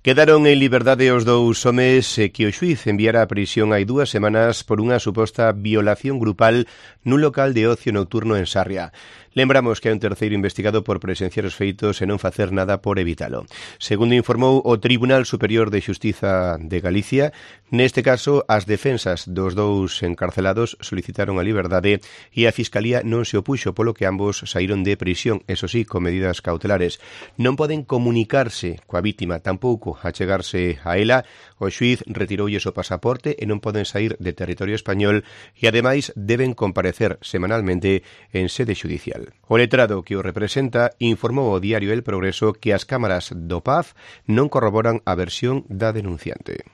Quedaron en liberdade os dous homes que o xuíz enviara a prisión hai 2 semanas por unha suposta violación grupal nun local de ocio nocturno en Sarria. Lembramos que hai un terceiro investigado por presenciar os feitos e non facer nada por evitalo. Segundo informou o Tribunal Superior de Xustiza de Galicia, neste caso as defensas dos dous encarcelados solicitaron a liberdade e a Fiscalía non se opuxo, polo que ambos saíron de prisión, eso sí, con medidas cautelares. Non poden comunicarse coa vítima, tampouco achegarse a ela. O xuíz retiroulles o pasaporte e non poden saír de territorio español e, ademais, deben comparecer semanalmente en sede xudicial. O letrado que o representa informou ao diario El Progreso que as cámaras do PAF non corroboran a versión da denunciante.